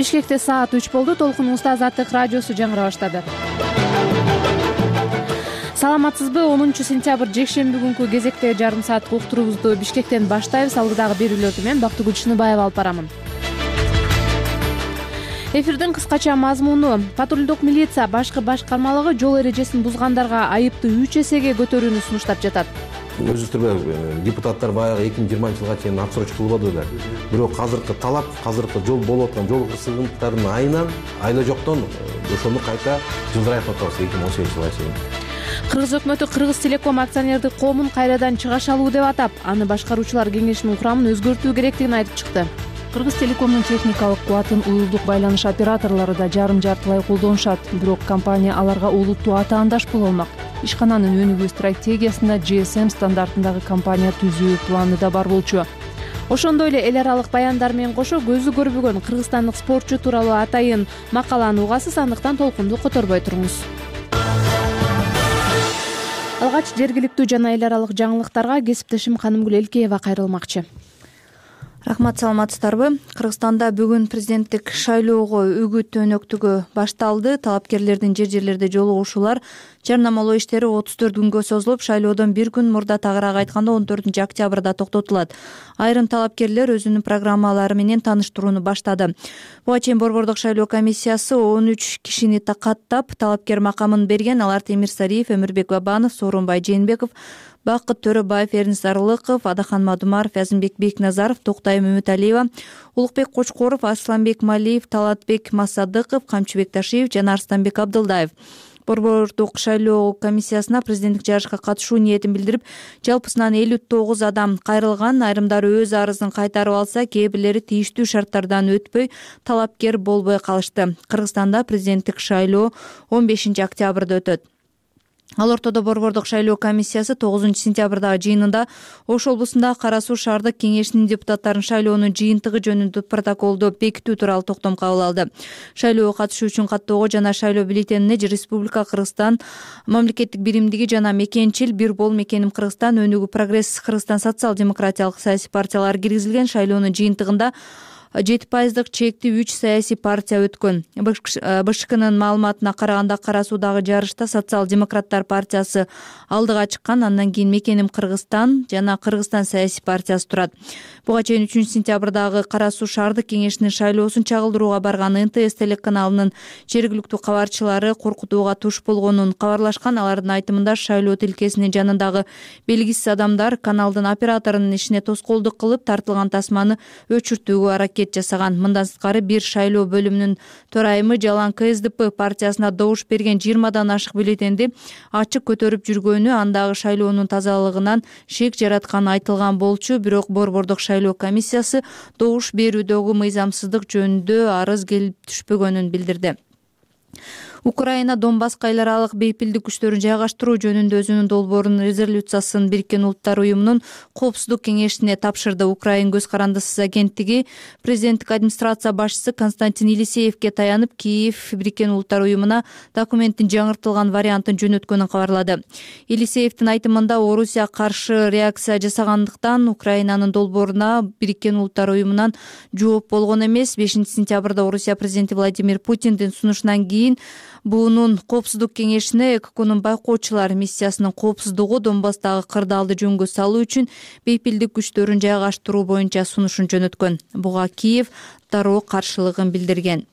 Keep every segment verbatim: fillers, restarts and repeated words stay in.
Бишкекте саат үч болду. Толкунубузда Азаттык радиосу жаңыра баштады. Саламатсызбы? онунчу сентябрь жекшемби күнкү кезекте жарым сааттык уктуруубузду Бишкектен баштайбыз. Алдыдагы берүүлөрдү мен Бактыгүл Чыныбаева алып барамын. Эфирдин кыскача мазмуну: патрулдук милиция башкы башкармалыгы жол эрежесин бузгандарга айыпты үч эсеге көтөрүүнү сунуштап жатат. Өзүңүздөр депутаттар баягы эки миң жыйырманчы жылга чейин отсрочка кылбады беле. Бирок азыркы талап, азыркы жол болуп аткан жол кырсыгынтарынын айынан айла жоктон ошону кайта жылдырайт атабыз эки миң он сегизинчи жылга чейин. Кыргыз өкмөтү Кыргыз Телеком акционердик коомун кайрадан чыгаш алуу деп атап, аны башкаруучулар кеңешинин курамын өзгөртүү керектигин айтып чыкты. Кыргыз Телекомдун техникалык кубатын уюлдук байланыш операторлору да жарым-жартылай колдонушат. Бирок компания аларга олуттуу атаандаш боло алмак. Ишкананын өнүгүү стратегиясында джи эс эм стандартындагы компания түзүү планы да бар болчу. Ошондой эле эл аралык баяндар менен кошо көзү көрбөгөн кыргызстандык спортчу тууралуу атайын макаланы угасыз, андыктан толкунду которбой туруңуз. Алгач жергиликтүү жана эл аралык жаңылыктарга кесиптешим Канымгүл Элкеева кайрылмакчы. Рахмат, саламатсыздарбы? Кыргызстанда бүгүн президенттик шайлоого үгүт өнөктүгү башталды. Талапкерлердин жер жерлерде жолугушуулар, жарнамалоо иштери отуз төрт күнгө созулуп, шайлоодон бир күн мурда, тагыраак айтканда он төртүнчү октябрда токтотулат. Айрым талапкерлер өзүнүн программалары менен тааныштырууну баштады. Буга чейин Борбордук шайлоо комиссиясы он үч кишини каттап талапкер макамын берген. Алар Темир Сариев, Өмүрбек Бабанов, Сооронбай Жээнбеков, Бакыт Төрөбаев, Эрнис Арылыков, Адахан Мадумаров, Азимбек Бекназаров, Токтай Мөмөталиева, Улукбек Кочкоров, Асланбек Малиев, Талатбек Масадыков, Камчыбек Ташиев жана Арстанбек Абдылдаев. Борбордук шайлоо комиссиясына президенттик жарышка катышуу ниетин билдирип, жалпысынан элүү тогуз адам кайрылган. Айрымдары өз арызын кайтарып алса, кээ бирлери тийиштүү шарттардан өтпөй талапкер болбой калышты. Кыргызстанда президенттик шайлоо он бешинчи октябрда өтөт. Ал ортодо Борбордук шайлоо комиссиясы тогузунчу сентябрдагы жыйынында Ош облусундагы Кара Суу шаардык кеңешинин депутаттарын шайлоонун жыйынтыгы жөнүндө протоколду бекитүү тууралуу токтом кабыл алды. Шайлоого катышуу үчүн каттоого жана шайлоо бюллетенине Республика Кыргызстан мамлекеттик биримдиги жана мекенчил Бир бол мекеним Кыргызстан, Өнүгүү Прогресс Кыргызстан социал-демократиялык саясий партиялары киргизилген. Шайлоонун жыйынтыгында жети пайыздык чектүү үч саясий партия өткөн. бэ ш кнын маалыматына караганда, Кара Суудагы жарышта Социал-демократтар партиясы алдыга чыккан. Андан кийин Мекеним Кыргызстан жана Кыргызстан саясий партиясы турат. Буга чейин үчүнчү сентябрдагы Кара Суу шаардык кеңешинин шайлоосун чагылдырууга барган эн тэ эс телеканалынын жергиликтүү кабарчылары коркутууга туш болгонун кабарлашкан. Алардын айтымында, шайлоо тилкесинин жанындагы белгисиз адамдар каналдын операторунун ишине тоскоолдук кылып, тартылган тасманы өчүртүүгө аракет жасаган. Мындан сырткары, бир шайлоо бөлүмүнүн төрайымы жалаң ка эс дэ пэ партиясына добуш берген жыйырмадан ашык бюллетенди ачык көтөрүп жүргөнү, андагы шайлоонун тазалыгынан шек жаратканы айтылган болчу. Бирок Борбордук шайлоо комиссиясы добуш берүүдөгү мыйзамсыздык жөнүндө арыз келип түшпөгөнүн билдирди. Украина Донбасска эл аралык бейпилдик күчтөрүн жайгаштыруу жөнүндө өзүнүн долбоорун резолюциясын Бириккен Улуттар уюмунун коопсуздук кеңешине тапшырды. Украин көз карандысыз агенттиги президенттик администрация башчысы Константин Елисеевке таянып, Киев Бириккен Улуттар уюмуна документтин жаңыртылган вариантын жөнөткөнүн кабарлады. Елисеевдин айтымында, Орусия каршы реакция жасагандыктан Украинанын долбооруна Бириккен Улуттар уюмунан жооп болгон эмес. бешинчи сентябрда Орусия президенти Владимир Путиндин сунушунан кийин буунун коопсуздук кеңешине ЭККнун байкоочулар миссиясынын коопсуздугу Донбасстагы кырдаалды жөнгө салуу үчүн бейпилдик күчтөрүн жайгаштыруу боюнча сунушун жөнөткөн. Буга Киев дароо каршылыгын билдирген.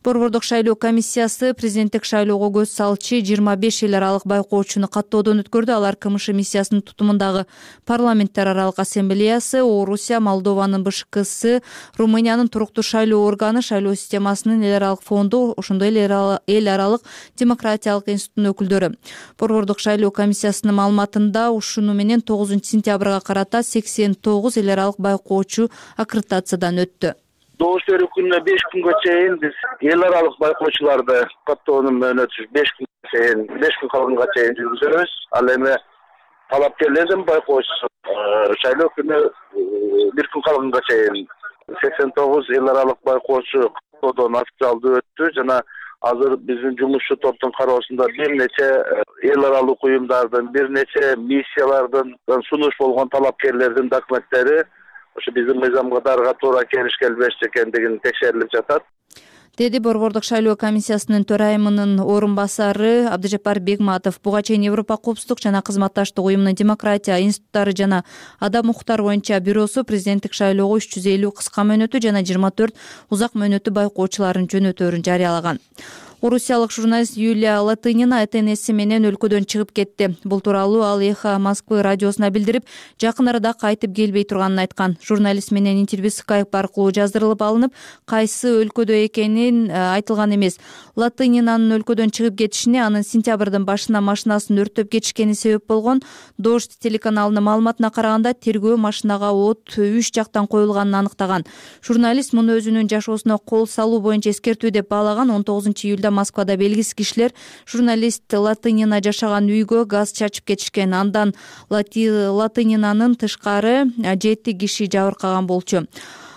Борбордук шайлоо комиссиясы президенттик шайлоого көз салчы жыйырма беш эл аралык байкоочуну каттоодон өткөрдү. Алар ка эм ш миссиясынын тутумундагы парламенттер аралык ассамблеясы, Орусия, Молдованын бэ ш ксы, Румыниянын туруктуу шайлоо органы, шайлоо системасынын эл аралык фонду, ошондой эле эл аралык демократиялык институттун өкүлдөрү. Борбордук шайлоо комиссиясынын маалыматында ушуну менен тогузунчу сентябрга карата сексен тогуз эл аралык байкоочу аккредитациядан өттү. Добуш берүү күнүнө беш күнгө чейин биз эл аралык байкоочуларды каттоонун мөөнөтү беш күнгө чейин, беш күн калганга чейин жүргүзөбүз. Ал эми талапкерлердин байкоочусу шайлоо күнү бир күн калганга чейин сексен тогуз эл аралык байкоочу каттоодон официалдуу өттү жана азыр биздин жумушчу топтун кароосунда бир нече эл аралык уюмдардын, бир нече миссиялардын сунуш болгон талапкерлердин документтери ошо биздин мыйзамга дарыга туура келиш келбеш экендигин текшерилип жатат. деди Борбордук шайлоо комиссиясынын төрайымынын орун басары Абдыжапар Бегматов. Буга чейин Европа коопсуздук жана кызматташтык уюмунун демократия институттары жана адам укуктары боюнча бюросу президенттик шайлоого үч жүз элүү кыска мөөнөтү жана жыйырма төрт узак мөөнөтү байкоочуларын жөнөтөөрүн жарыялаган. Орусиялык журналист Юлия Латынина Э Т Н С менен өлкөдөн чыгып кетти. Бул тууралуу ал Эхо Москвы радиосуна билдирип, жакын арада кайтып келбей турганын айткан. Журналист менен интервью скайп аркылуу жаздырылып алынып, кайсы өлкөдө экенин айтылган эмес. Латынинанын өлкөдөн чыгып кетишине анын сентябрдын башында машинасын өрттөп кетишкени себеп болгон. Дождь телеканалынын маалыматына караганда, тергөө машинага от үч жактан коюлганын аныктаган. Журналист муну өзүнүн жашоосуна кол салуу боюнча эскертүү деп баалаган. он тогузунчу июлда Москвада белгисиз кишилер журналист Латынина жашаган үйгө газ чачып кетишкен. Андан Латынинанын тышкары жети киши жабыркаган болчу.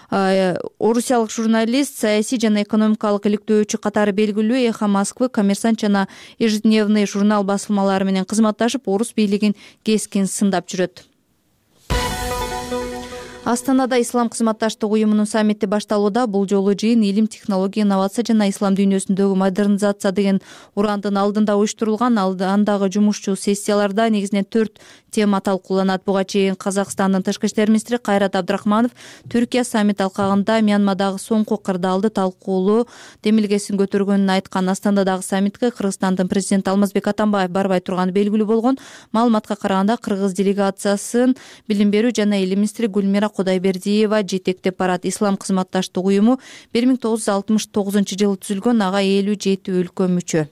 Орусиялык журналист саясий жана экономикалык иликтөөчү катары белгилүү Эхо Москвы, Коммерсант жана Ежедневный журнал басылмалары менен кызматташып, орус бийлигин кескин сындап жүрөт. Астанада Ислам кызматташтык уюмунун саммити башталууда. Бул жолу жыйын илим, технология, инновация жана ислам дүйнөсүндөгү модернизация деген урандын алдында уюштурулган. Андагы жумушчу сессияларда негизинен төрт тема талкууланат. Буга чейин Казакстандын тышкы иштер министри Кайрат Абдрахманов Түркия саммит алкагында Мьянмадагы соңку кырдаалды талкуулоо демилгесин көтөргөнүн айткан. Астанадагы саммитке Кыргызстандын президенти Алмазбек Атамбаев барбай турганы белгилүү болгон. Маалыматка караганда, кыргыз делегациясын билим берүү жана илим министри Гүлмира Кудайбердиева жетектеп барат. Ислам кызматташтык уюму бир миң тогуз жүз алтымыш тогузунчу жылы түзүлгөн, ага элүү жети өлкө мүчө.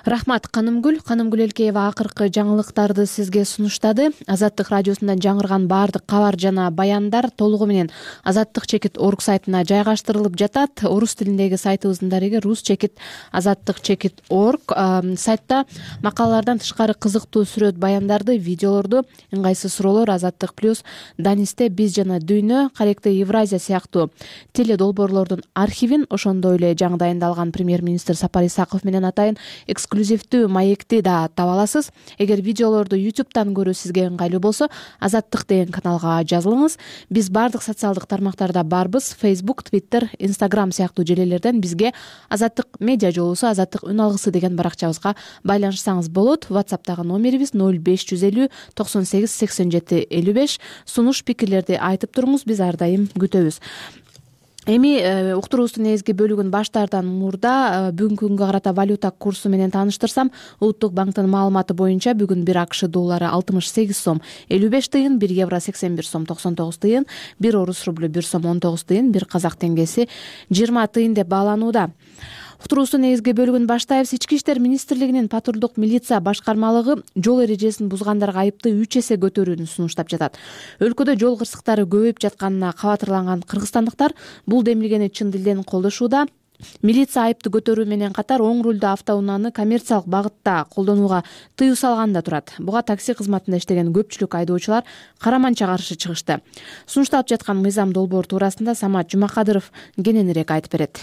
Рахмат, Канымгүл. Канымгүл Элкеева акыркы жаңылыктарды сизге сунуштады. Азаттык радиосунан жаңырган баардык кабар жана баяндар толугу менен азаттык чекит орг сайтына жайгаштырылып жатат. Орус тилиндеги сайтыбыздын дареги рус чекит азаттык чекит орг. Сайтта макалалардан тышкары кызыктуу сүрөт баяндарды, видеолорду, ыңгайсыз суроолор, Азаттык плюс, Данисте биз жана дүйнө, Каректе Евразия сыяктуу теле долбоорлордун архивин, ошондой эле жаңы дайындалган премьер-министр Сапар Исаков менен атайын эксклюзивдүү маекти да таба аласыз. Эгер видеолорду ютубтан көрүү сизге ыңгайлуу болсо, Азаттык деген каналга жазылыңыз. Биз бардык социалдык тармактарда барбыз. Facebook, Twitter, Instagram сыяктуу желелерден бизге Азаттык медиа жолусу, Азаттык үн алгысы деген баракчабызга байланышсаңыз болот. WhatsApp'тагы номерибиз ноль беш жүз элүү токсон сегиз сексен жети элүү беш. Сунуш пикирлерди айтып туруңуз, биз ар дайым күтөбүз. Эми уктуруубуздун негизги бөлүгүн баштаардан мурда бүгүнкү күнгө карата валюта курсу менен тааныштырсам, Улуттук банктын маалыматы боюнча бүгүн бир АКШ доллары алтымыш сегиз сом элүү беш тыйын, бир евро сексен бир сом токсон тогуз тыйын, бир орус рублю бир сом он тогуз тыйын, бир казак теңгеси жыйырма тыйын деп бааланууда. Уктуруубуздун негизги бөлүгүн баштайбыз. Ички иштер министрлигинин патрулдук милиция башкармалыгы жол эрежесин бузгандарга айыпты үч эсе көтөрүүнү сунуштап жатат. Өлкөдө жол кырсыктары көбөйүп жатканына кабатырланган кыргызстандыктар бул демилгени чын дилден колдошууда. Милиция айыпты көтөрүү менен катар оң рулдуу автоунааны коммерциялык багытта колдонууга тыюу салган да турат. Буга такси кызматында иштеген көпчүлүк айдоочулар караманча каршы чыгышты. Сунушталып жаткан мыйзам долбоор туурасында Самат Жумакадыров кененирээк айтып берет.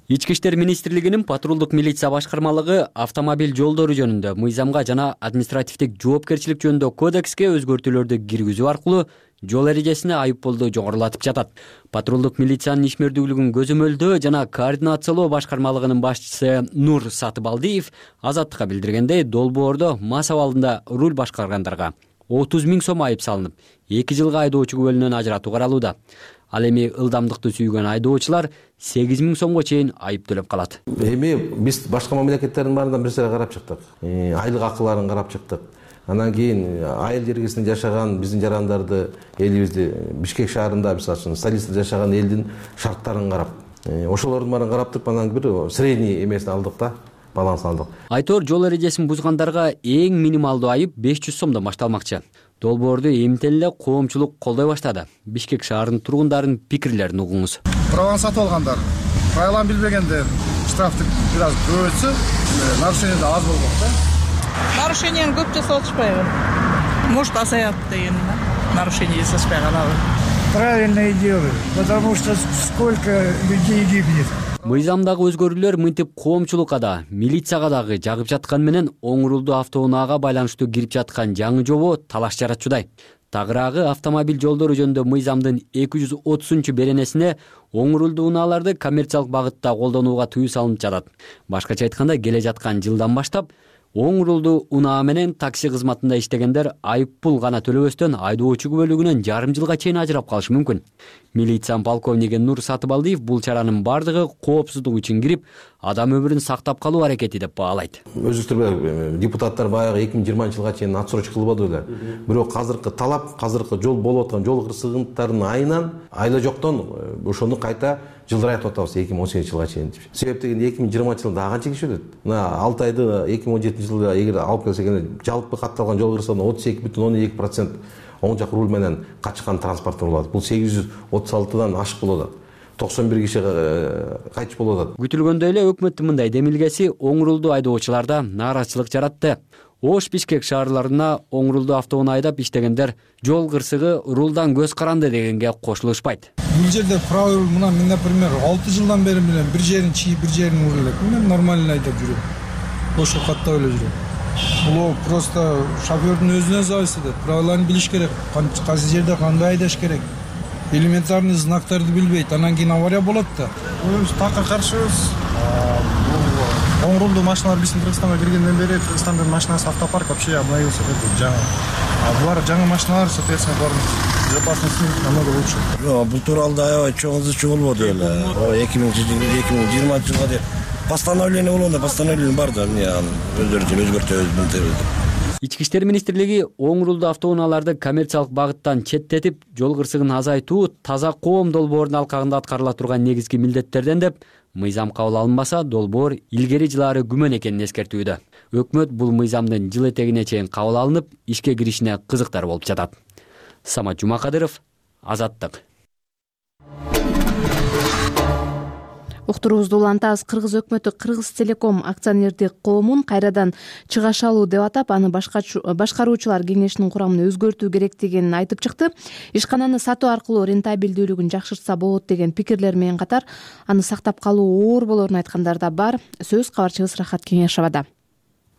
Ички иштер министрлигинин патрулдук милиция башкармалыгы автомобиль жолдору жөнүндө мыйзамга жана административдик жоопкерчилик жөнүндө кодекске өзгөртүүлөрдү киргизүү аркылуу жол эрежесине айыппулду жоңгурулатып жатат. Патрулдук милициянын ишмердүүлүгүн көзөмөлдөө жана координациялоо башкармалыгынын башчысы Нур Сатыбалдиев Азаттыкка билдиргендей, долбоордо мас абалында руль башкаргандарга отуз миң сом айып салынып, эки жылга айдоочу күбөлүнөн ажыратуу каралууда. Ал эми ылдамдыкты сүйгөн айдоочулар сегиз миң сомго чейин айып төлөп калат. Эми биз башка мамлекеттердин баарынан бир нерсе карап чыктык. Айлык акыларын карап чыктык. Андан кийин айыл жергесинде жашаган биздин жарандарды, элибизди Бишкек шаарында, мисалы үчүн столицада жашаган элдин шарттарын карап, ошолордун баарын карап туруп, анан бир средний эмесин алдык да, балансын алдык. Айтор жол эрежесин бузгандарга эң минималдуу айып беш жүз сомдон башталмакчы. Долбоорду эмтен эле коомчулук колдой баштады. Бишкек шаарынын тургундарынын пикирлерин угуңуз. Праваны сатып алгандар, правиланы билбегендер штрафты бир аз көбөйтсө, нарушение да аз болмок да. Нарушениени көп жасап атышпайбы? Может, азаят деген нарушение жасашпай калабы. Правильное дело, потому что сколько людей гибнет. Мыйзамдагы өзгөрүүлөр мынтип коомчулукка да, милицияга дагы жагып жатканы менен оң рулдуу автоунаага байланыштуу кирип жаткан жаңы жобо талаш жаратчудай. Тагыраагы автомобиль жолдору жөнүндө мыйзамдын эки жүз отузунчу беренесине оң рулдуу унааларды коммерциялык багытта колдонууга тыюу салынып жатат. Башкача айтканда, келе жаткан жылдан баштап оң рулдуу унаа менен такси кызматында иштегендер айып пул гана төлөбөстөн айдоочу күбөлүгүнөн жарым жылга чейин ажырап калышы мүмкүн. Милиция полковниги Нур Сатыбалдиев бул чаранын бардыгы коопсуздук үчүн кирип, адам өмүрүн сактап калуу аракети деп баалайт. Өзүктүр депутаттар баягы эки миң жыйырманчы жылга чейин отсрочка кылбады беле. Бирок азыркы талап, азыркы жол болуп аткан жол кырсыгынтарынын айынан айла жоктон ошону кайта жылдырайтып атабыз эки миң он сегизинчи жылга чейин. Себеп дегенде эки миң жыйырманчы жылда канча киши өлөт? Мына алты айды эки миң он жетинчи жылда эгер алып келсек, жалпы катталган жол кырсыгынын отуз эки бүтүн ондон эки процент оң жак руль менен качкан транспорт болот. Бул сегиз жүз отуз алтыдан ашык болот. токсон бир киши кайтыш болот. Күтүлгөндөй эле өкмөттүн мындай демилгеси оң рулдуу айдоочуларда нааразычылык жаратты. Ош, Бишкек шаарларына оң рулдуу автоунаа айдап иштегендер жол кырсыгы рулдан көз каранды дегенге кошулушпайт. Бул жерде правил мына мен, например, алты жылдан бери менен бир жерин чийип, бир жерин урулап, мен нормально айдап жүрөм. Ошо каттап эле жүрөм. Бул просто шофёрдун өзүнө зависит этет. Правиланы билиш керек. Кайсы жерде кандай айдаш керек. Элементарный знактарды билбейт, анан кийин авария болот да. Биз такка каршыбыз. Оң рулдуу машиналар биздин Кыргызстанга киргенден бери Кыргызстандын машинасы автопарк вообще обновился жаңы. А булар жаңы машиналар, соответственно, булардын безопасности намного лучше. Жок, бул тууралуу аябай чоң ызы болбоду эле. эки миң жыйырманчы жылга деп постановление болгондо постановление бар да, эмне өздөрүнчө өзгөртөбүз. Ички иштер министрлиги оң рулдуу автоунааларды коммерциялык багыттан четтетип, жол кырсыгын азайтуу таза коом долбоорунун алкагында аткарыла турган негизги милдеттерден деп, мыйзам кабыл алынбаса, долбоор илгери жылаары күмөн экенин эскертүүдө. Өкмөт бул мыйзамдын жыл этегине чейин кабыл алынып, ишке киришине кызыктар болуп жатат. Самат Жумакадыров, Азаттык. Уктуруубузду улантабыз. Кыргыз өкмөтү Кыргыз Телеком акционердик коомун кайрадан чыгаш алуу деп атап, аны башкаруучулар кеңешинин курамын өзгөртүү керектигин айтып чыкты. Ишкананы сатуу аркылуу рентабелдүүлүгүн жакшыртса болот деген пикирлер менен катар, аны сактап калуу оор болорун айткандар да бар. Сөз кабарчыбыз Рахат Кеңешовада.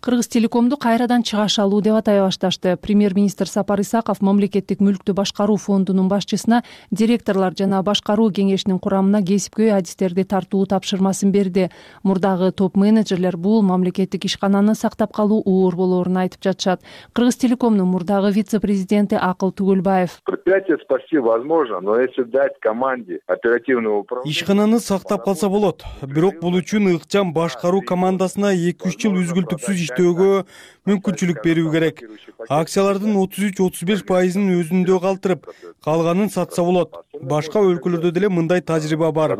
Кыргыз Телекомду кайрадан чыгаш алуу деп атай башташты. Премьер-министр Сапар Исаков мамлекеттик мүлктү башкаруу фондунун башчысына директорлор жана башкаруу кеңешинин курамына кесипкөй адистерди тартуу тапшырмасын берди. Мурдагы топ-менеджерлер бул мамлекеттик ишкананы сактап калуу оор болоорун айтып жатышат. Кыргыз Телекомдун мурдагы вице-президенти Акыл Тугулбаев. Предприятие спасти возможно, но если дать команде оперативного управления... Ишкананы сактап калса болот. Бирок бул үчүн ыкчам башкаруу командасына эки үч жыл үзгүлтүксүз иштөөгө мүмкүнчүлүк берүү керек. Акциялардын отуз үч отуз беш пайызын өзүндө калтырып, калганын сатса болот. Башка өлкөлөрдө деле мындай тажрыйба бар.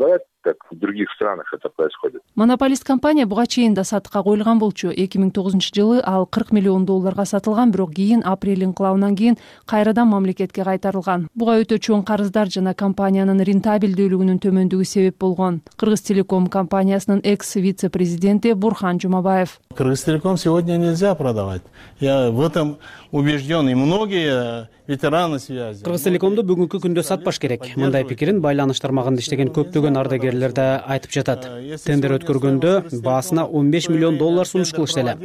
В других странах это происходит. Монополист компания буга чейин да сатыкка коюлган болчу. эки миң тогузунчу жылы ал кырк миллион долларга сатылган, бирок кийин апрель инкылабынан кийин кайрадан мамлекетке кайтарылган. Буга өтө чоң карыздар жана компаниянын рентабелдүүлүгүнүн төмөндүгү себеп болгон. Кыргыз Телеком компаниясынын экс-вице-президенти Бурхан Жумабаев. Кыргыз Телеком сегодня нельзя продавать. Я в этом убежден, и многие ветераны связи. Кыргыз Телекомду бүгүнкү күндө сатпаш керек. Мындай пикирин байланыш тармагында иштеген көптөгөн ардагерлер да айтып жатат. Тендер өткөргөндө баасына он беш миллион доллар сунуш кылышты эле.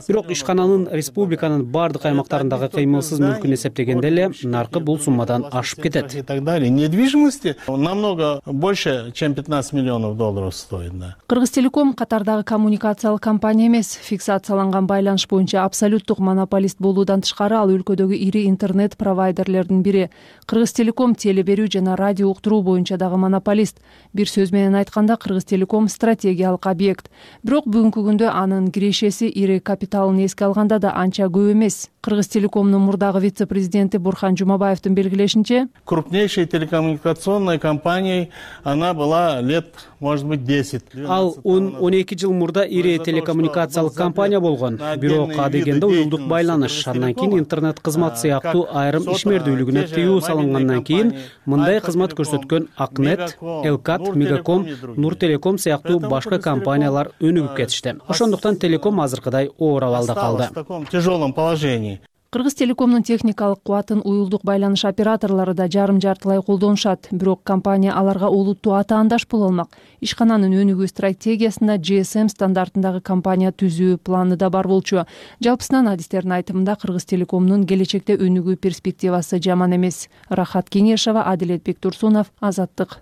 Бирок ишкананын республиканын бардык аймактарындагы кыймылсыз мүлкүн эсептегенде эле наркы бул суммадан ашып кетет. И так далее. Недвижимости намного больше, чем пятнадцать миллионов долларов стоит. Кыргыз Телеком катардагы коммуникациялык компания эмес. Фиксацияланган байланыш боюнча абсолюттук монополист болуудан тышкары ал өлкөдөгү ири интернет провайдерлердин бири. Кыргыз Телеком теле берүү жана радио уктуруу боюнча дагы монополист. Бир сөз менен айтканда, Кыргыз Телеком стратегиялык объект. Бирок бүгүнкү күндө анын кирешеси ири капиталын эске алганда да анча көп эмес. Кыргыз Телекомдун мурдагы вице-президенти Бурхан Жумабаевдин белгилешинче, крупнейшей телекоммуникационной компанией она была лет, может быть, десять. Ал он он эки жыл мурда ири телекоммуникациялык компания болгон. Бирок адегенде уюлдук байланыш, андан кийин интернет кызмат сыяктуу айрым ишмердүүлүгүнө тыюу салынгандан кийин мындай кызмат көрсөткөн Акнет, Элкат, Мегаком, Нур Телеком сыяктуу башка компаниялар өнүгүп кетишти. Ошондуктан Телеком азыркыдай оор абалда калды. В таком тяжелом положении. Кыргыз Телекомдун техникалык кубатын уюлдук байланыш операторлору да жарым-жартылай колдонушат. Бирок компания аларга олуттуу атаандаш боло алмак. Ишкананын өнүгүү стратегиясында джи эс эм стандартындагы компания түзүү планы да бар болчу. Жалпысынан адистердин айтымында Кыргыз Телекомдун келечекте өнүгүү перспективасы жаман эмес. Рахат Кеңешова, Адилет Бектурсунов, Азаттык.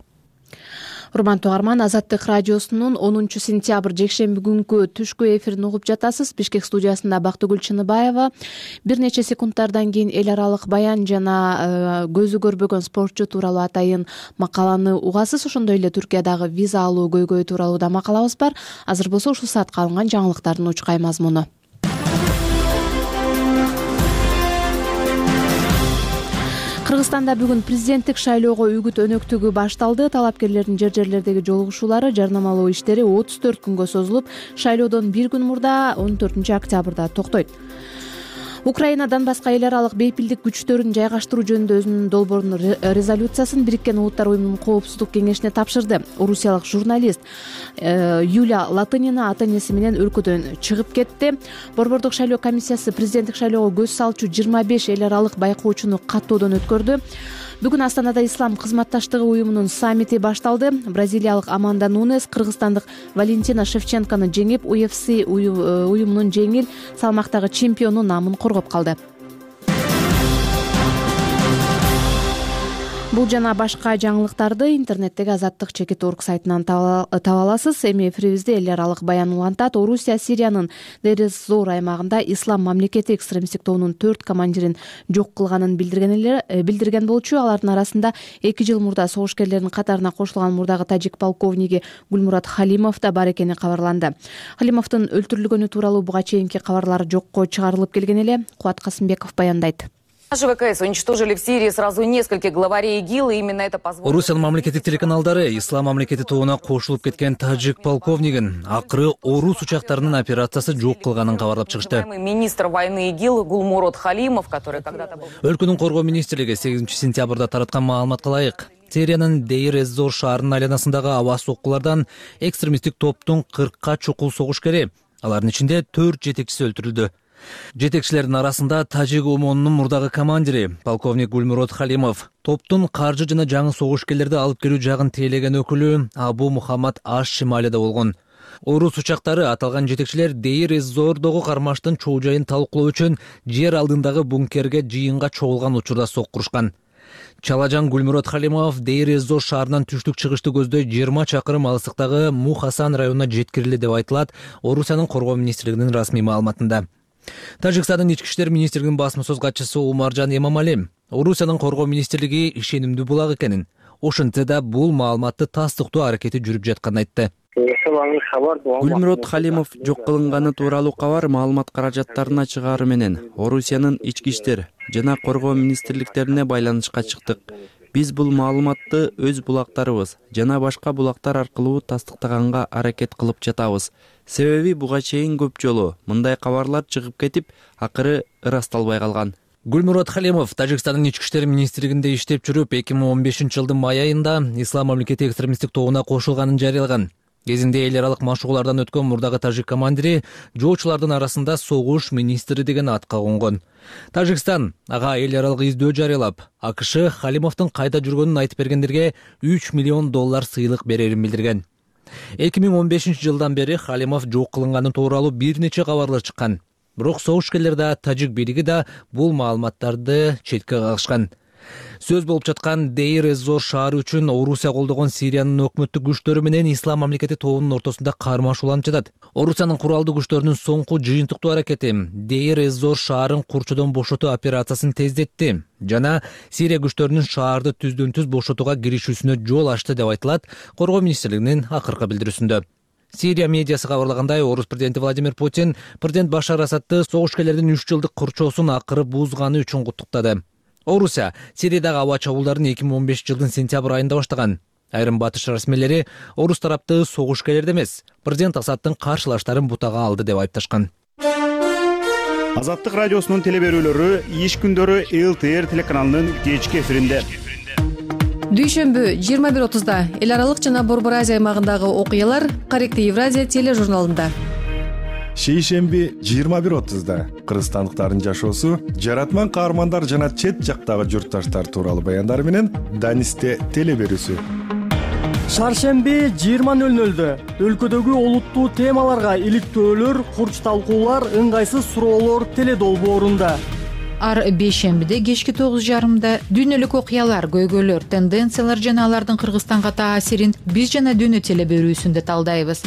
Урмандуу угарман, Азаттык радиосунун онунчу сентябрь жекшемби күнкү түшкү эфирин угуп жатасыз. Бишкек студиясында Бактыгүл Чыныбаева. Бир нече секундтардан кийин эл аралык баян жана көзү көрбөгөн спортчу тууралуу атайын макаланы угасыз. Ошондой эле Түркиядагы виза алуу көйгөйү тууралуу да макалабыз бар. Азыр болсо ушул саатка алынган жаңылыктардын учкай мазмуну. Кыргызстанда бүгүн президенттик шайлоого үгүт өнөктүгү башталды. Талапкерлердин жер жерлердеги жолугушуулары, жарнамалоо иштери отуз төрт күнгө созулуп, шайлоодон бир күн мурда он төртүнчү октябрда токтойт. Украинадан башка эл аралык бейпилдик күчтөрүн жайгаштыруу жөнүндө өзүнүн долбоорун резолюциясын Бириккен Улуттар уюмунун коопсуздук кеңешине тапшырды. Орусиялык журналист Юлия Латынина ата-энеси менен өлкөдөн чыгып кетти. Борбордук шайлоо комиссиясы президенттик шайлоого көз салчу жыйырма беш эл аралык байкоочуну каттоодон өткөрдү. Бүгүн Астанада Ислам кызматташтыгы уюмунун саммити башталды. Бразилиялык Аманда Нунес кыргызстандык Валентина Шевченкону жеңип, ю эф си уюмунун жеңил салмактагы чемпиону намын коргоп калды. Бул жана башка жаңылыктарды интернеттеги азаттык чекит точка орг сайтынан таба аласыз. Эми эфирибизде эл аралык баян улантат. Орусия Сириянын Дер-эз-Зор аймагында Ислам мамлекети экстремисттик тобунун төрт командирин жок кылганын билдирген болчу. Алардын арасында эки жыл мурда согушкерлердин катарына кошулган мурдагы тажик полковниги Гулмурат Халимов да бар экени кабарланды. Халимовдун өлтүрүлгөнү тууралуу буга чейинки кабарлар жокко чыгарылып келген эле. Кубат Касымбеков баяндайт. Наши ВКС уничтожили в Сирии сразу нескольких главарей ИГИЛ, и именно это позволило... Орусиянын мамлекеттик телеканалдары Ислам мамлекети тобуна кошулуп кеткен тажик полковнигин акыры орус учактарынын операциясы жок кылганын кабарлап чыгышты. Министр войны ИГИЛ Гулмурат Халимов, который когда-то был... Өлкөнүн коргоо министрлиги сегизинчи сентябрда тараткан маалыматка ылайык, Сириянын Дейр-эз-Зор шаарынын айланасындагы аба соккулардан экстремисттик топтун кыркка чукул согушкери, алардын ичинде төрт жетекчиси өлтүрүлдү. Жетекчилердин арасында тажик ОМОНунун мурдагы командири полковник Гулмурат Халимов, топтун каржы жана жаңы согушкерлерди алып келүү жагын тейлеген өкүлү Абу Мухаммад аш-Шималида болгон. Орус учактары аталган жетекчилер Дейр-эз-Зордогу кармаштын чоо жайын талкуулоо үчүн жер алдындагы бункерге жыйынга чогулган учурда соккурушкан. Чалажан Гулмурат Халимов Дейр-эз-Зор шаарынан түштүк чыгышты көздөй жыйырма чакырым алыстыктагы Мухасан районуна жеткирилди деп айтылат Орусиянын коргоо министрлигинин расмий маалыматында. Тажикстандын ички иштер министрлигинин басма сөз катчысы Умаржан Эмамали Орусиянын коргоо министрлиги ишенимдүү булак экенин, ошентсе да бул маалыматты тастыктоо аракети жүрүп жатканын айтты. Гулмурат Халимов жок кылынганы тууралуу кабар маалымат каражаттарына чыгаары менен Орусиянын ички иштер жана коргоо министрликтерине байланышка чыктык. Биз бул маалыматты өз булактарыбыз жана башка булактар аркылуу тастыктаганга аракет кылып жатабыз. Себеби буга чейин көп жолу мындай кабарлар чыгып кетип, акыры ырасталбай калган. Гулмурат Халимов Тажикстандын ички иштер министрлигинде иштеп жүрүп, эки миң он бешинчи жылдын май айында Ислам мамлекети экстремисттик тобуна кошулганын жарыялаган. Кезинде эл аралык машыгуулардан өткөн мурдагы тажик командири жоочулардын арасында согуш министри деген атка конгон. Тажикстан ага эл аралык издөө жарыялап, АКШ Халимовдун кайда жүргөнүн айтып бергендерге үч миллион доллар сыйлык берерин билдирген. эки миң он бешинчи жылдан бери Халимов жок кылынганы тууралуу бир нече кабарлар чыккан. Бирок согушкерлер да, тажик бийлиги да бул маалыматтарды четке кагышкан. Сөз болуп жаткан Дейр-эз-Зор шаары үчүн Орусия колдогон Сириянын өкмөттүк күчтөрү менен Ислам мамлекети тобунун ортосунда кармашууланып жатат. Орусиянын куралдуу күчтөрүнүн соңку жыйынтыктуу аракети Дейр-эз-Зор шаарын курчудон бошотуу операциясын тездетти жана Сирия күчтөрүнүн шаарды түздөн түз бошотууга киришүүсүнө жол ачты деп айтылат коргоо министрлигинин акыркы билдирүүсүндө. Сирия медиасы кабарлагандай, орус президенти Владимир Путин президент Башар Асадты согушкерлердин үч жылдык курчоосун акыры бузганы үчүн куттуктады. Орусия Сириядагы аба чабуулдарын эки миң он бешинчи жылдын сентябрь айында баштаган. Айрым батыш расмийлери орус тарапты согушкерлерди эмес, президент Асадтын каршылаштарын бутага алды деп айыпташкан. Азаттык радиосунун телеберүүлөрү иш күндөрү эл тэ эр телеканалынын кечки эфиринде. Дүйшөмбү жыйырма бир отузда эл аралык жана Борбор Азия аймагындагы окуялар Корректив Евразия тележурналында. шейшемби жыйырма бир отузда кыргызстандыктардын жашоосу, жаратман каармандар жана чет жактагы журтташтар тууралуу баяндары менен Данисте теле берүүсү. Шаршемби жыйырма нөл нөлдө өлкөдөгү олуттуу темаларга иликтөөлөр, курч талкуулар, ыңгайсыз суроолор теле долбоорунда. Ар бейшембиде кечки тогуз жарымда дүйнөлүк окуялар, көйгөйлөр, тенденциялар жана алардын Кыргызстанга таасирин биз жана дүйнө теле берүүсүндө талдайбыз.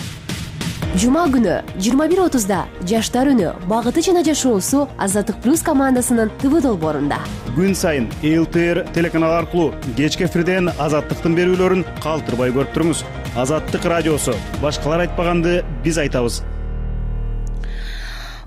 Жума күнү жыйырма бир отузда жаштар үнү, багыты жана жашоосу Азаттык плюс командасынын ТВ долбоорунда. Күн сайын эл тэ эр телеканалы аркылуу кечки эфирден Азаттыктын берүүлөрүн калтырбай көрүп туруңуз. Азаттык радиосу, башкалар айтпаганды биз айтабыз.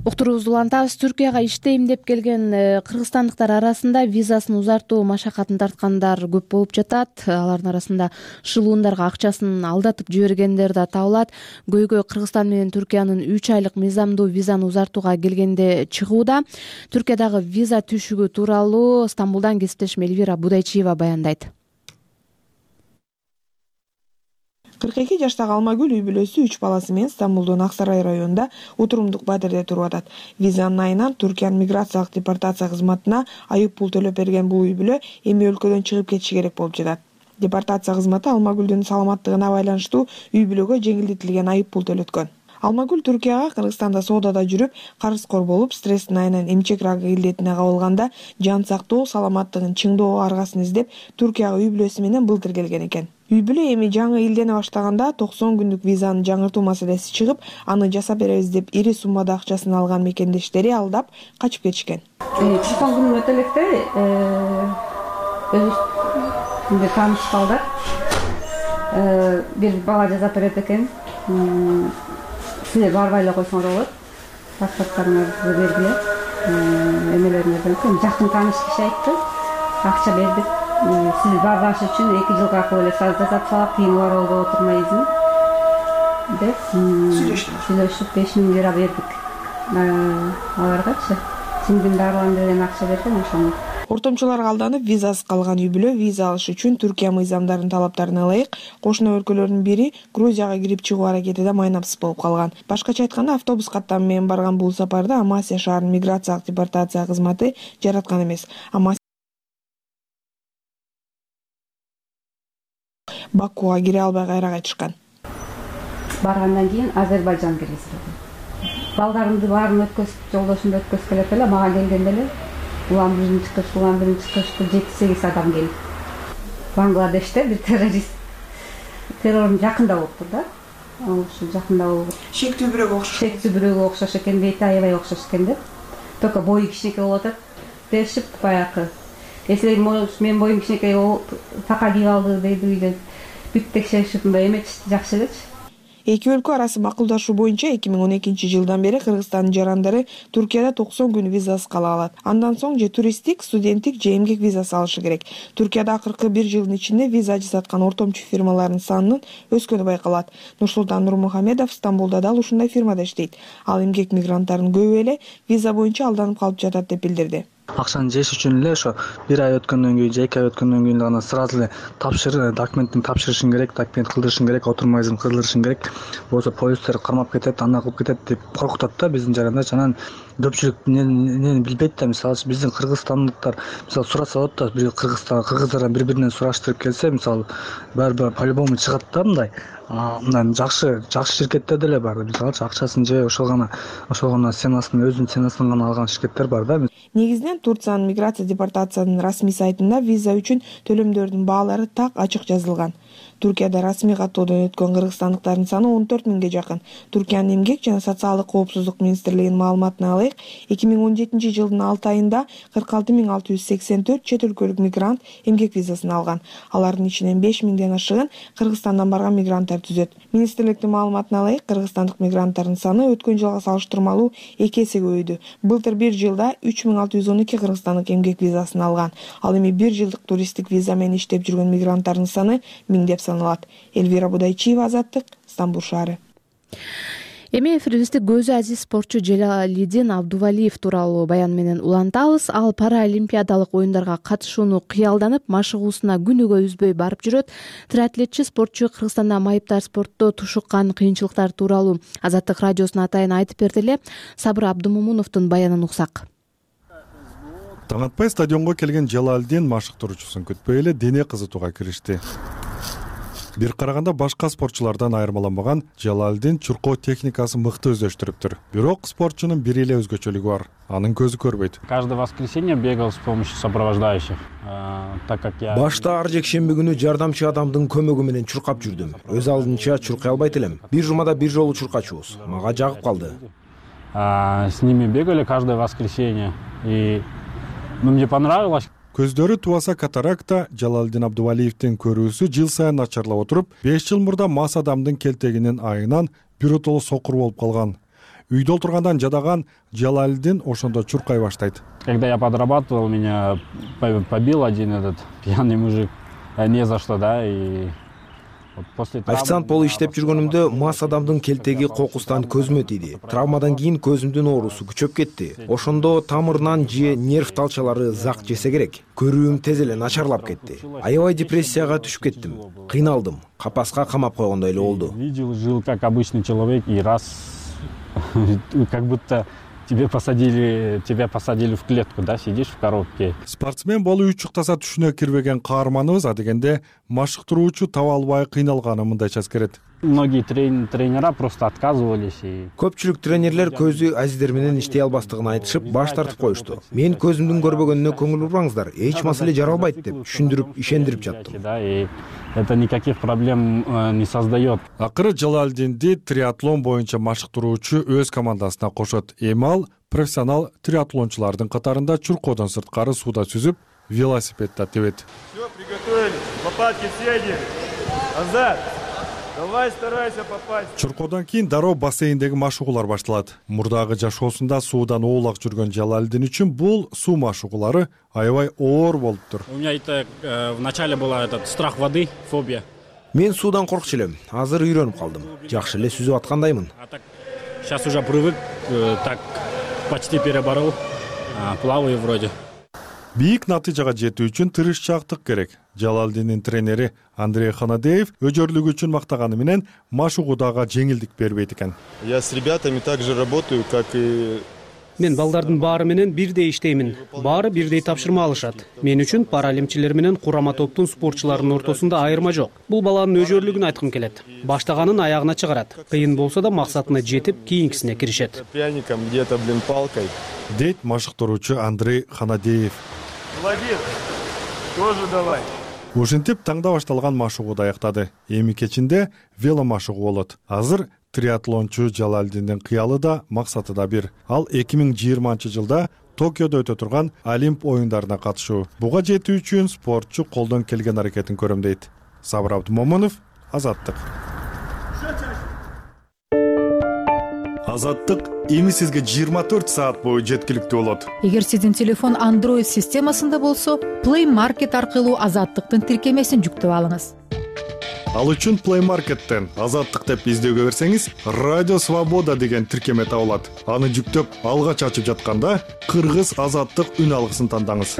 Уктуруубузду улантабыз. Түркияга иштейм деп келген кыргызстандыктар арасында визасын узартуу машакатын тарткандар көп болуп жатат. Алардын арасында шылуундарга акчасын алдатып жибергендер да табылат. Көйгөй Кыргызстан менен Түркиянын үч айлык мыйзамдуу визаны узартууга келгенде чыгууда. Түркиядагы виза түшүгү тууралуу Стамбулдан кесиптешим Эльвира Будайчиева баяндайт. кырк эки жаштагы Алмагүл үй бүлөсү үч баласы менен Стамбулдун Ак Сарай районунда Утурумдук Бадырде туруп атат. Визанын айынан Түркиянын миграциялык депортация кызматына айып пул төлөп берген бул үй бүлө эми өлкөдөн чыгып кетиши керек болуп жатат. Депортация кызматы Алмагүлдүн саламаттыгына байланыштуу үй бүлөгө жеңилдетилген айып пул төлөткөн. Алмагүл Түркияга Кыргызстанда соодада жүрүп, карызкор болуп, стресстин айынан эмчек рагы илдетине кабылганда жан сактоо, саламаттыгын чыңдоо аргасын издеп Түркияга үй бүлөсү менен былтыр келген экен. Үй бүлө эми жаңы илдене баштаганда токсон күндүк визанын жаңыртуу маселеси чыгып, аны жасап беребиз деп ири суммада акчасын алган мекендештери алдап качып кетишкен. токсон күн өтө электе өзүбүз тааныш калдык. Бир бала жасап берет экен. Силер барбай эле койсоңор болот. Паспорттарыңарды бергиле. Эмелериңерден жакын тааныш киши айтты. Акча бердик. Сиз барбаш үчүн эки жылга эле саз жасап салып, кийин оролго отурмайсың деп сүйлөшүп беш миң лира бердик аларгачы. Сиңдин дарылан деген акча берген ошону. Ортомчуларга алданып визасыз калган үй бүлө виза алыш үчүн Түркия мыйзамдарынын талаптарына ылайык кошуна өлкөлөрдүн бири Грузияга кирип чыгуу аракетиде майнапсыз болуп калган. Башкача айтканда, автобус каттамы менен барган бул сапарды Амасия шаарынын миграциялык депортация кызматы жараткан эмес. Бакууга кире албай кайра кайтышкан. Баргандан кийин Азербайжан киргизди. Балдарымды баарын өткөзүп, жолдошумду өткөзүп келет эле, мага келгенде эле улам биринчи чыкыш, улам биринчи чыкышты жети сегиз адам келип. Бангладеште бир террорист террорун жакында болуптур да. Ошо жакында болуп. Шектүү бирөөгө окшош. Шектүү бирөөгө окшош экен, бейти аябай окшош экен деп. Только бою кичинекей болуп атат. Дешип баягы. Если мен боюм кичинекей така кийип алды дейди үйдө. Бүт текшеришип мындай эметишти, жакшы элечи. Эки өлкө арасы макулдашуу боюнча эки миң он экинчи жылдан бери Кыргызстандын жарандары Түркияда токсон күн визасыз кала алат. Андан соң же туристтик, студенттик, же эмгек визасы алышы керек. Түркияда акыркы бир жылдын ичинде виза жасаткан ортомчу фирмалардын санынын өскөнү байкалат. Нурсултан Нурмухамедов Стамбулда дал ушундай фирмада иштейт. Ал эмгек мигранттарынын көбү эле виза боюнча алданып калып жатат деп билдирди. Акчаны жеш үчүн эле ошо бир ай өткөндөн кийин же эки ай өткөндөн кийин гана сразу эле тапшыр, документин тапшырышың керек, документ кылдырышың керек, отурмайсың кылдырышың керек. Болсо полистер кармап кетет, ана кылып кетет деп коркутат да биздин жарандар. Анан көпчүлүк эмнени билбейт да, мисалы биздин кыргызстандыктар мисалы сураса болот да, бир Кыргызстан кыргыздардан бири-биринен сураштырып келсе, мисалы баары по-любому чыгат да мындай. Мындан жакшы жакшы ширкеттер деле бар. Мисалы акчасын же ошол гана ошол гана сенасынын өзүнүн сенасынан гана алган ширкеттер бар да. Негизинен Турциянын миграция депортациясынын расмий сайтында виза үчүн төлөмдөрдүн баалары так ачык жазылган. Түркияда расмий каттоодон өткөн кыргызстандыктардын саны он төрт миңге жакын. Түркиянын эмгек жана социалдык коопсуздук министрлигинин маалыматына ылайык, эки миң он жетинчи жылдын алты айында кырк алты миң алты жүз сексен төрт чет өлкөлүк мигрант эмгек визасын алган. Алардын ичинен беш миңден ашыгын Кыргызстандан барган мигранттар түзөт. Министрликтин маалыматына ылайык, кыргызстандык мигранттардын саны өткөн жылга салыштырмалуу эки эсе көбөйдү. Былтыр бир жылда үч миң алты жүз он эки кыргызстандык эмгек визасын алган. Ал эми бир жылдык туристтик виза менен иштеп жүргөн мигранттардын саны миңдеп саналат. Эльвира Будайчиева, Азаттык, Стамбул шаары. Эми эфирибизди көзү азиз спортчу Желалидин Абдувалиев тууралуу баян менен улантабыз. Ал паралимпиадалык оюндарга катышууну кыялданып, машыгуусуна күнүгө үзбөй барып жүрөт. Триатлетчи спортчу Кыргызстанда майыптар спортто тушуккан кыйынчылыктар тууралуу Азаттык радиосуна атайын айтып берди эле. Сабыр Абдумомуновдун баянын уксак. Таң атпай стадионго келген Желалидин машыктыруучусун күтпөй эле дене кызытууга киришти. Бир караганда башка спортчулардан айырмаланбаган Желалидин чуркоо техникасы мыкты өздөштүрүптүр. Бирок спортчунун бир эле өзгөчөлүгү бар. Анын көзү көрбөйт. Каждое воскресенье бегал с помощью сопровождающих, так как я башта ар жекшемби күнү жардамчы адамдын көмөгү менен чуркап жүрдүм. Өз алдынча чуркай албайт элем. Бир жумада бир жолу чуркачубуз. Мага жагып калды. С ними бегали каждое воскресенье, и ну мне понравилось. Көздөрү тубаса катаракта. Желалидин Абдувалиевдин көрүүсү жыл сайын начарлап отуруп, беш жыл мурда мас адамдын келтегинин айынан биротоло сокур болуп калган. Үйдө отургандан жадаган Желалидин ошондо чуркай баштайт. Когда я подрабатывал, меня побил один этот пьяный мужик, не за что, да, и официант болуп иштеп жүргөнүмдө мас адамдын келтеги кокустан көзүмө тийди. Травмадан кийин көзүмдүн оорусу күчөп кетти. Ошондо тамырынан же нерв талчалары зак жесе керек. Көрүүм тез эле начарлап кетти. Аябай депрессияга түшүп кеттим. Кыйналдым. Капаска камап койгондой эле болду. Видел, жил как обычный человек, и раз как будто тебе посадили, тебя посадили в клетку, да, сидишь в коробке. Спортсмен болуу учуктаса түшүнө кирбеген каарманыбыз адегенде машыктыруучу таба албай кыйналганын мындайча эскерет. Многие тренера просто отказывались. Көпчүлүк тренерлер көзү азиздер менен иштей албастыгын айтышып, баш тартып коюшту. Мен көзүмдүн көрбөгөнүнө көңүл бурбаңыздар, эч маселе жаралбайт деп түшүндүрүп, ишендирип жаттым. Это никаких проблем не создает. Акыры Желалидинди триатлон боюнча машыктыруучу өз командасына кошот. Эми ал профессионал триатлончулардын катарында чуркоодон сырткары сууда сүзүп, велосипедде тебет. Все, приготовились. Лопатки съедем. Азат. Давай, старайся попасть. Чуркоодон кийин дароо бассейндеги машыгуулар башталат. Мурдагы жашоосунда суудан оолак жүргөн Желалидин үчүн бул суу машыгуулары аябай оор болуптур. У меня это в начале была этот страх воды, фобия. Мен суудан коркчу элем. Азыр үйрөнүп калдым. Жакшы эле сүзүп аткандаймын. Сейчас уже привык, так почти переборол. Плаваю вроде. Бийик натыйжага жетүү үчүн тырышчаактык керек. Желалидиндин тренери Андрей Ханадеев өжөрлүгү үчүн мактаганы менен машыгуудага жеңилдик бербейт экен. Я с ребятами также работаю, как и Мен балдардын баары менен бирдей иштеймин. Баары бирдей тапшырма алышат. Мен үчүн паралимпиялар менен курама топтун спортчуларынын ортосунда айырма жок. Бул баланын өжөрлүгүн айткым келет. Баштаганын аягына чыгарат. Кыйын болсо да максатына жетип, кийинкисине киришет. Пряником где-то, блин, палкой. Дейт машыктыруучу Андрей Ханадеев. Молодец. Тоже давай. Ушинтип таңда башталган машыгууду аяктады. Эми кечинде веломашыгуу болот. Азыр триатлончу Желалидиндин кыялы да, максаты да бир. Ал эки миң жыйырманчы жылда Токиодо өтө турган Олимп оюндарына катышуу. Буга жетүү үчүн спортчу колдон келген аракетин көрөм дейт. Сабыр Абдумомунов, Азаттык. Азаттык эми сизге жыйырма төрт саат бою жеткиликтүү болот. Эгер сиздин телефон Android системасында болсо, Play Market аркылуу Азаттыктын тиркемесин жүктөп алыңыз. Ал үчүн Play Market'тен Азаттык деп издөөгө берсеңиз, Радио Свобода деген тиркеме табылат. Аны жүктөп, алгач ачып жатканда Кыргыз Азаттык үн алгысын тандаңыз.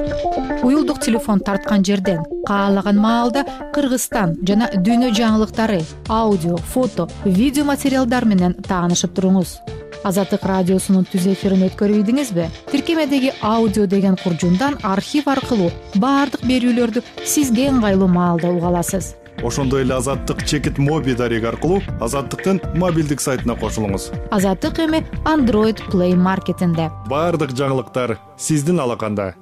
Уюлдук телефон тарткан жерден каалаган маалда Кыргызстан жана дүйнө жаңылыктары, аудио, фото, видео материалдар менен таанышып туруңуз. Азаттык радиосунун түз эфирин өткөрүп ийдиңизби? Тиркемедеги аудио деген куржундан архив аркылуу баардык берүүлөрдү сизге ыңгайлуу маалда уга аласыз. Ошондой эле Азаттык чекит моби дареги аркылуу Азаттыктын мобилдик сайтына кошулуңуз. Азаттык эми Android Play Market'инде. Баардык жаңылыктар сиздин алаканда.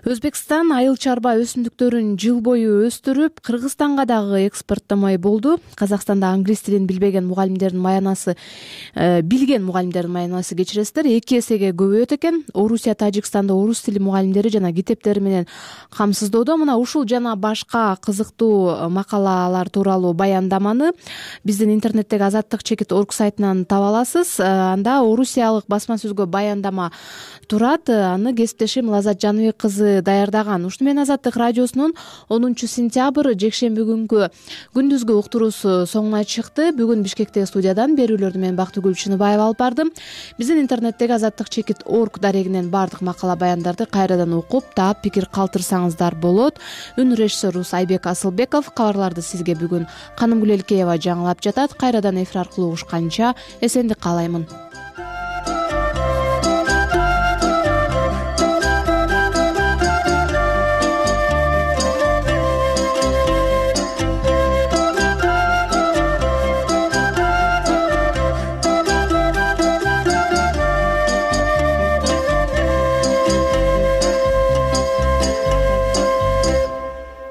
Өзбекстан айыл чарба өсүмдүктөрүн жыл бою өстүрүп, Кыргызстанга дагы экспорттомой болду. Казакстанда англис тилин билбеген мугалимдердин маянасы, э, билген мугалимдердин маянасы кечиресиздер, эки эсеге көбөйөт экен. Орусия, Тажикстанда орус тили мугалимдери жана китептери менен камсыздоодо. Мына ушул жана башка кызыктуу макалалар тууралуу баяндаманы биздин интернеттеги азаттык чекит орг сайтынан таба аласыз. Анда орусиялык басма сөзгө баяндама турат. Аны кесиптешим Лазат Жаныбек кызы кабарды даярдаган. Ушуну менен Азаттык радиосунун онунчу сентябрь жекшемби күнгү күндүзгү уктуруусу соңуна чыкты. Бүгүн Бишкектеги студиядан берүүлөрдү мен Бактыгүл Чыныбаева алып бардым. Биздин интернеттеги азаттык чекит орг дарегинен баардык макала баяндарды кайрадан окуп, таап, пикир калтырсаңыздар болот. Үн режиссерубуз Айбек Асылбеков. Кабарларды сизге бүгүн Канымгүл Элкеева жаңылап жатат. Кайрадан эфир аркылуу угушканча эсендик каалаймын.